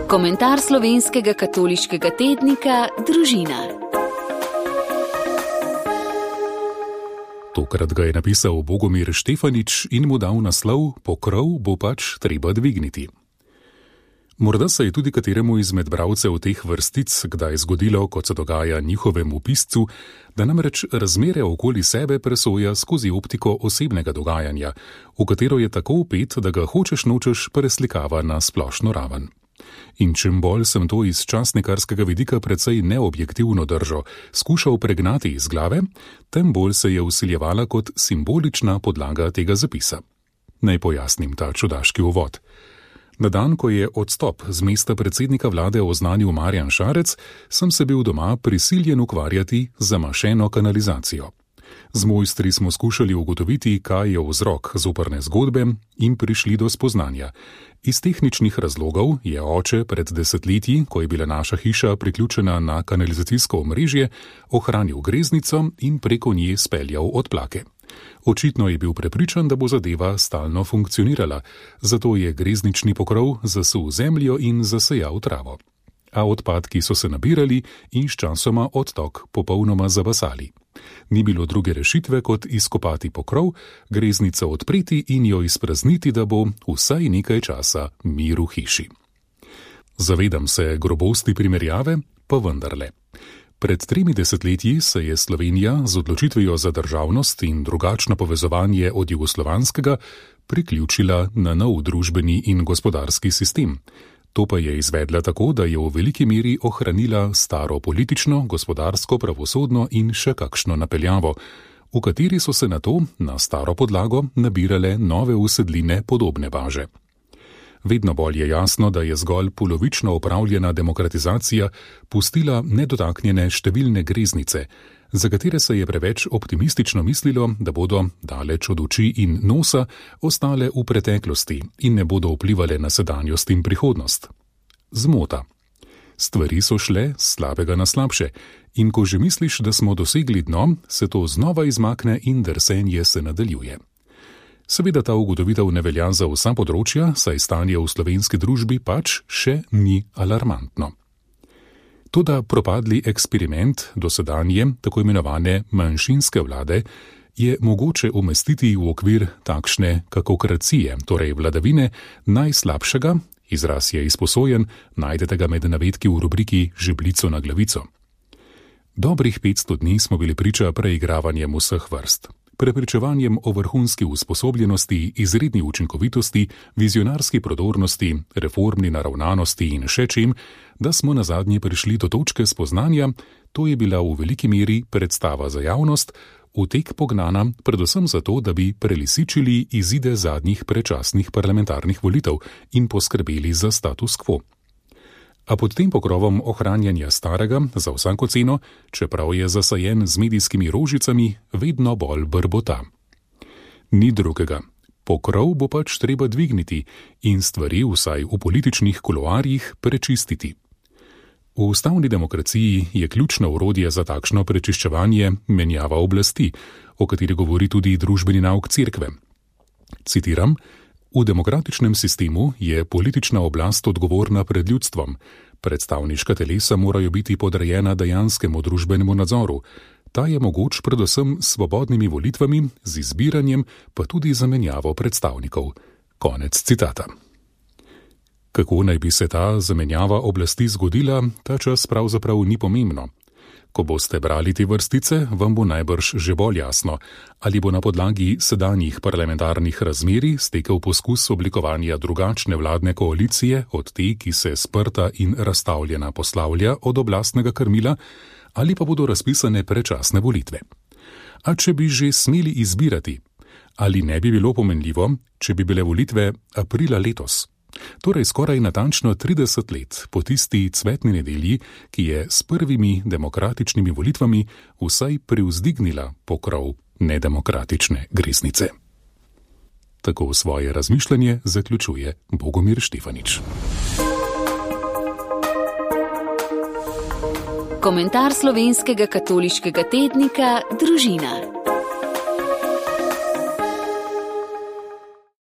Komentar slovenskega katoliškega tednika Družina. Tokrat ga je napisal Bogomir Štefanič in mu dal naslov Pokrov bo pač treba dvigniti. Morda se je tudi kateremu izmed bralcev teh vrstic kdaj zgodilo, kot se dogaja njihovemu piscu, da namreč razmere okoli sebe presoja skozi optiko osebnega dogajanja, v katero je tako vpet, da ga hočeš nočeš preslikava na splošno raven. In čim bolj sem to iz časnikarskega vidika precej neobjektivno držo skušal pregnati iz glave, tem bolj se je vsiljevala kot simbolična podlaga tega zapisa. Naj pojasnim ta čudaški uvod. Na dan, ko je odstop z mesta predsednika vlade oznanil Marjan Šarec, sem se bil doma prisiljen ukvarjati z zamašeno kanalizacijo. Z mojstri smo skušali ugotoviti, kaj je vzrok zoprne zgodbe in prišli do spoznanja. Iz tehničnih razlogov je oče pred desetletji, ko je bila naša hiša priključena na kanalizacijsko omrežje, ohranil greznico in preko nje speljal odplake. Očitno je bil prepričan, da bo zadeva stalno funkcionirala, zato je greznični pokrov zasul zemljo in zasejal travo. A odpadki so se nabirali in sčasoma odtok popolnoma zabasali. Ni bilo druge rešitve, kot izkopati pokrov, greznico odpreti in jo izprazniti, da bo vsaj nekaj časa mir v hiši. Zavedam se grobosti primerjave, pa vendarle. Pred 3 desetletji se je Slovenija z odločitvijo za državnost in drugačno povezovanje od jugoslovanskega priključila na nov družbeni in gospodarski sistem. To pa je izvedla tako, da je v veliki meri ohranila staro politično, gospodarsko, pravosodno in še kakšno napeljavo, v kateri so se nato na staro podlago nabirale nove usedline podobne baže. Vedno bolj je jasno, da je zgolj polovično opravljena demokratizacija pustila nedotaknjene številne greznice, za katere se je preveč optimistično mislilo, da bodo daleč od oči in nosa ostale v preteklosti in ne bodo vplivale na sedanjost in prihodnost. Zmota. Stvari so šle s slabega na slabše in ko že misliš, da smo dosegli dno, se to znova izmakne in drsenje se nadaljuje. Seveda ta ugotovitev ne velja za vsa področja, saj stanje v slovenski družbi pač še ni alarmantno. Toda propadli eksperiment dosedanje, tako imenovane manjšinske vlade, je mogoče umestiti v okvir takšne kakokracije, torej vladavine najslabšega, izraz je izposojen, najdete ga med navedki v rubriki Žebljico na glavico. Dobrih 500 dni smo bili priča preigravanjem vseh vrst. Prepričevanjem o vrhunski usposobljenosti, izredni učinkovitosti, vizionarski prodornosti, reformni naravnanosti in še čim, da smo nazadnje prišli do točke spoznanja, to je bila v veliki meri predstava za javnost, v tek pognana predvsem zato, da bi prelisičili izide zadnjih predčasnih parlamentarnih volitev in poskrbeli za status quo. A pod tem pokrovom ohranjanja starega za vsako ceno, čeprav je zasajen z medijskimi rožicami, vedno bolj brbota. Ni drugega. Pokrov bo pač treba dvigniti in stvari vsaj v političnih kuloarjih prečistiti. V ustavni demokraciji je ključno orodje za takšno prečiščevanje menjava oblasti, o kateri govori tudi družbeni nauk cerkve. Citiram: V demokratičnem sistemu je politična oblast odgovorna pred ljudstvom. Predstavniška telesa morajo biti podrejena dejanskemu družbenemu nadzoru. Ta je mogoč predvsem s svobodnimi volitvami, z izbiranjem, pa tudi zamenjavo predstavnikov. Konec citata. Kako naj bi se ta zamenjava oblasti zgodila, ta čas pravzaprav ni pomembno. Ko boste brali te vrstice, vam bo najbrž že bolj jasno, ali bo na podlagi sedanjih parlamentarnih razmerij stekel poskus oblikovanja drugačne vladne koalicije od te, ki se sprta in razstavljena poslavlja od oblastnega krmila, ali pa bodo razpisane predčasne volitve. A če bi že smeli izbirati, ali ne bi bilo pomenljivo, če bi bile volitve aprila letos? Torej skoraj natančno 30 let po tisti cvetni nedelji, ki je s prvimi demokratičnimi volitvami vsaj privzdignila pokrov nedemokratične greznice. Tako svoje razmišljanje zaključuje Bogomir Štefanič. Komentar slovenskega katoliškega tednika Družina.